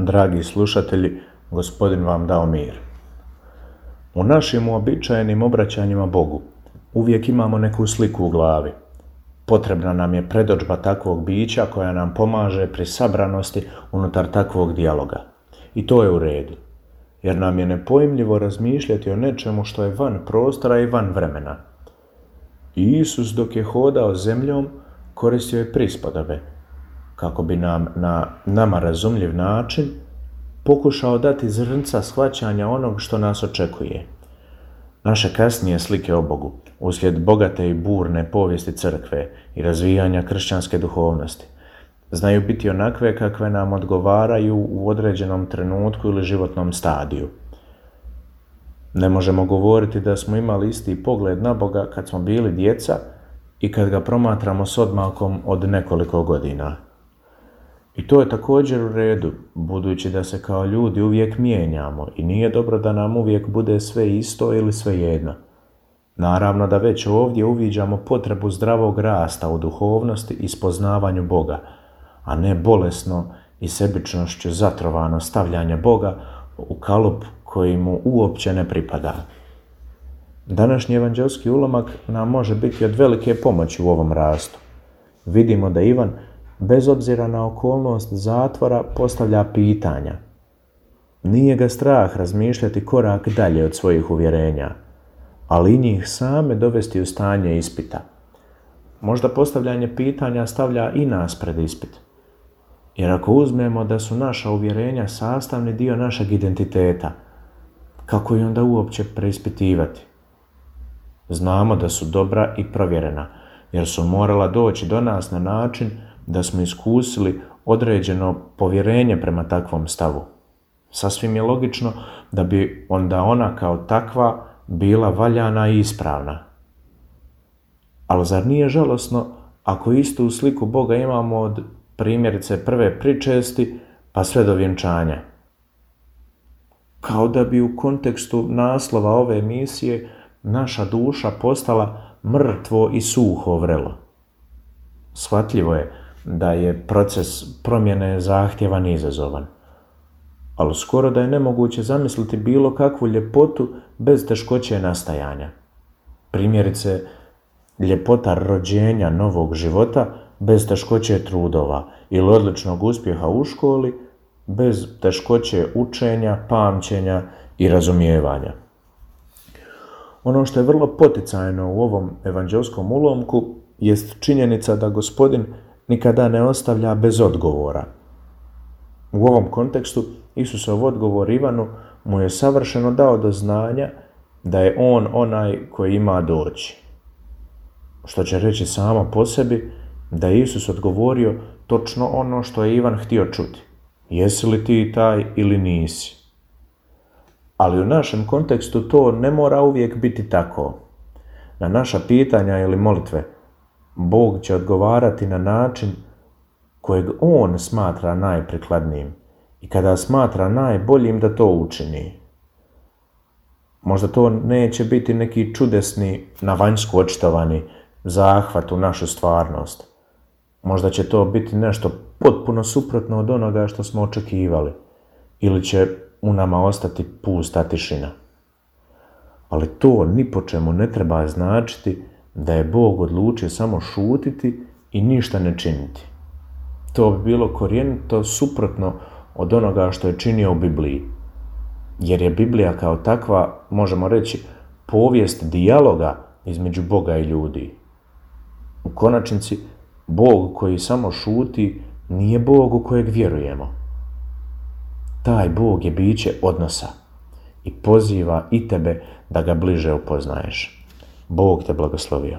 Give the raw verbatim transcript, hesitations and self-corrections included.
Dragi slušatelji, Gospodin vam dao mir. U našim uobičajenim obraćanjima Bogu uvijek imamo neku sliku u glavi. Potrebna nam je predodžba takvog bića koja nam pomaže pri sabranosti unutar takvog dijaloga. I to je u redu, jer nam je nepojmljivo razmišljati o nečemu što je van prostora i van vremena. I Isus dok je hodao zemljom koristio je prispodobe, kako bi nam na nama razumljiv način pokušao dati zrnca shvaćanja onog što nas očekuje. Naše kasnije slike o Bogu, uslijed bogate i burne povijesti crkve i razvijanja kršćanske duhovnosti, znaju biti onakve kakve nam odgovaraju u određenom trenutku ili životnom stadiju. Ne možemo govoriti da smo imali isti pogled na Boga kad smo bili djeca i kad ga promatramo s odmakom od nekoliko godina. I to je također u redu, budući da se kao ljudi uvijek mijenjamo i nije dobro da nam uvijek bude sve isto ili sve jedno. Naravno da već ovdje uviđamo potrebu zdravog rasta u duhovnosti i spoznavanju Boga, a ne bolesno i sebičnošću zatrovano stavljanje Boga u kalup koji mu uopće ne pripada. Današnji evanđelski ulomak nam može biti od velike pomoći u ovom rastu. Vidimo da Ivan, bez obzira na okolnost zatvora, postavlja pitanja. Nije ga strah razmišljati korak dalje od svojih uvjerenja, ali i njih same dovesti u stanje ispita. Možda postavljanje pitanja stavlja i nas pred ispit. Jer ako uzmemo da su naša uvjerenja sastavni dio našeg identiteta, kako je onda uopće preispitivati? Znamo da su dobra i provjerena, jer su morala doći do nas na način da smo iskusili određeno povjerenje prema takvom stavu. Sasvim je logično da bi onda ona kao takva bila valjana i ispravna. Ali zar nije žalosno ako istu sliku Boga imamo od primjerice prve pričesti pa sve do vjenčanja? Kao da bi u kontekstu naslova ove emisije naša duša postala mrtvo i suho vrelo. Shvatljivo je da je proces promjene zahtjevan i izazovan, ali skoro da je nemoguće zamisliti bilo kakvu ljepotu bez teškoće nastajanja. Primjerice, ljepota rođenja novog života bez teškoće trudova ili odličnog uspjeha u školi bez teškoće učenja, pamćenja i razumijevanja. Ono što je vrlo poticajno u ovom evanđelskom ulomku jest činjenica da Gospodin nikada ne ostavlja bez odgovora. U ovom kontekstu Isusov odgovor Ivanu mu je savršeno dao do znanja da je on onaj koji ima doći. Što će reći samo po sebi da je Isus odgovorio točno ono što je Ivan htio čuti. Jesi li ti taj ili nisi? Ali u našem kontekstu to ne mora uvijek biti tako. Na naša pitanja ili molitve Bog će odgovarati na način kojeg on smatra najprikladnijim i kada smatra najboljim da to učini. Možda to neće biti neki čudesni, na vanjsku očitovani zahvat u našu stvarnost. Možda će to biti nešto potpuno suprotno od onoga što smo očekivali ili će u nama ostati pusta tišina. Ali to ni po čemu ne treba značiti da je Bog odlučio samo šutiti i ništa ne činiti. To bi bilo korijenito suprotno od onoga što je činio u Bibliji. Jer je Biblija kao takva, možemo reći, povijest dijaloga između Boga i ljudi. U konačnici, Bog koji samo šuti nije Bog u kojeg vjerujemo. Taj Bog je biće odnosa i poziva i tebe da ga bliže upoznaješ. Bog te blagoslovio.